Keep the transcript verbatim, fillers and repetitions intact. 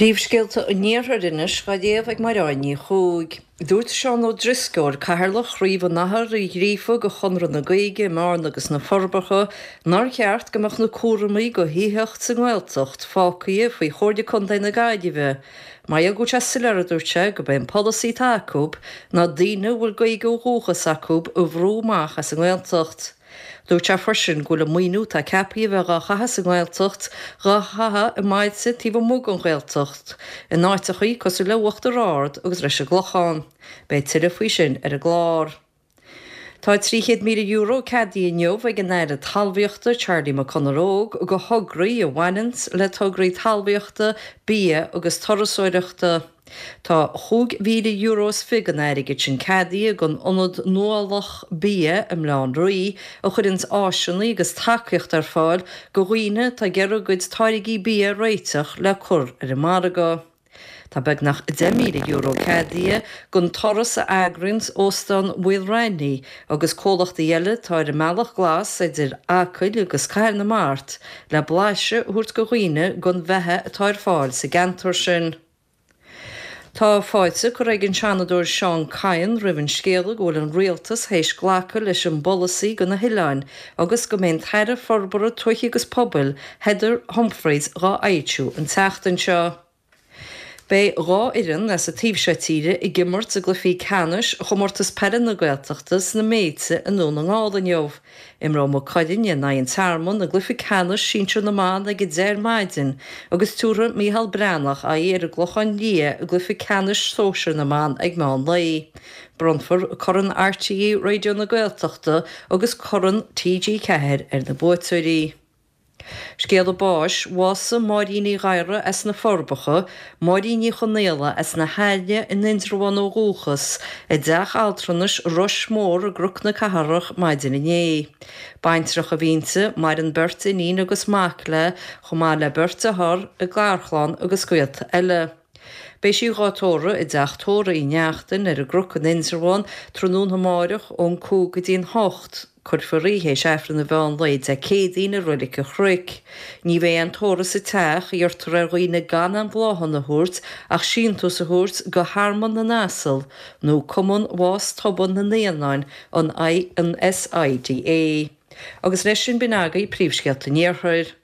Príomhscéalta an Iarthair anois á léamh ag Máire Ní Chuaig. Dúirt Seán Ó Drisceoil, Cathaoirleach Chraobh an Athar Uí Ghríofa de Chonradh na Gaeilge i mBearna agus na Forbacha, nár cheart go mbeadh na cúraimí do thithíocht sa nGaeltacht fágtha faoi Chomhairle Contae na Gaillimhe. Mar go bhfuil sé soiléir a dúirt sé gurb é an polasaí atá acu ná daoine a bhfuil Gaeilge ó dhúchas acu a bhrú amach as an nGaeltacht. Dúirt sé freisin go bhfuil an maoiniú atá ceaptha a bheith á chaitheamh sa nGaeltacht á chaitheamh i mbailte taobh amuigh den Ghaeltacht, in áiteachaí cosúil le Uachtar Ard agus leis an gClochán. Beidh tuilleadh faoi sin ar an gclár. Tá trí chéad míle euro ceadaithe inniu ag an Aire Talmhaíochta Charlie McConalogue do thograí a bhaineanns le tograí talmhaíochta, bia agus turasóireachta. Tá chúig mhíle euro is fiche den airgead sin ceadaithe don Ionad Nuálach Bia i mBaile Átha an Rí a chuireanns áiseanna agus tacaíocht ar fáil do dhaoine atá ag iarraidh a gcuid táirgí bia a réiteach le cur ar an margadh. Tá beagnach deich míle euro ceadaithe don turas a eagraíonns Óstán Mhaoil Raithní agus comhlachtaí eile atá ar an mbealach glas idir Acaill agus Cathair na Mart le blaiseadh a thabhairt do dhaoine den bheatha atá ar fáil sa gceantar sin. Tá fáilte curtha ag an Seanadóir Seán Kyne roimh an scéala go bhfuil an rialtas théis glacadh leis an bpolasaí do na hoileáin agus go mbeidh an tAire Forbartha Tuaithe agus Pobail Heather Humphreys á fhoilsiú an tseachtain seo. Beidh dhá fhoireann as an taobh seo tíre ag imirt i gcluichí ceannais chomórtas peile na Gaeltachta sna Méilte i nDún na nGall inniu. Imreoidh Maigh Cuilinn in aghaidh an Tearmann i gcluiche ceannais sinsir na mban ag a deich ar maidin agus tabharfaidh Micheál Breathnach aghaidh ar an gClochán Liath i gcluiche ceannais sóisir na mban ag meán lae. Bronnfar Corn RTÉ Raidió na Gaeltachta agus Corn TG Ceathair ar na buaiteoirí. Scéala báis, bhásaigh Máirín Ní Ghadhra as na Forbacha, Máirín Ní Chonaola as na hAille in Indreabhán ó dhúchas, i dteach altranais Rois Mór i gCnoc na Cathrach maidin inné. Baintreach a bhí inti, maireann beirt iníon agus mac léi, chomh maith le beirt dearthár i gcarchlann agus gaolta eile. Beidh sí dhá tórramh i dteach tórraimh Uí Neachtain ar an gCnoc in Indreabhán tráthnóna amárach ón cúig go dtí an hocht. Cuirfear í théis Aifreann an mheán lae Dé Céadaoin i Reilig an Chnoic. Ní bheidh aon tórramh sa teach, iarrtar ar dhaoine gan aon bhláthanna a thabhairt ach síntiús a thabhairt go hArmlann na nAsal nó Cumann Bhás Tobann na Naíonáin an SIDA. Agus leis sin b'in agaibh príomhscéalta an Iarthair.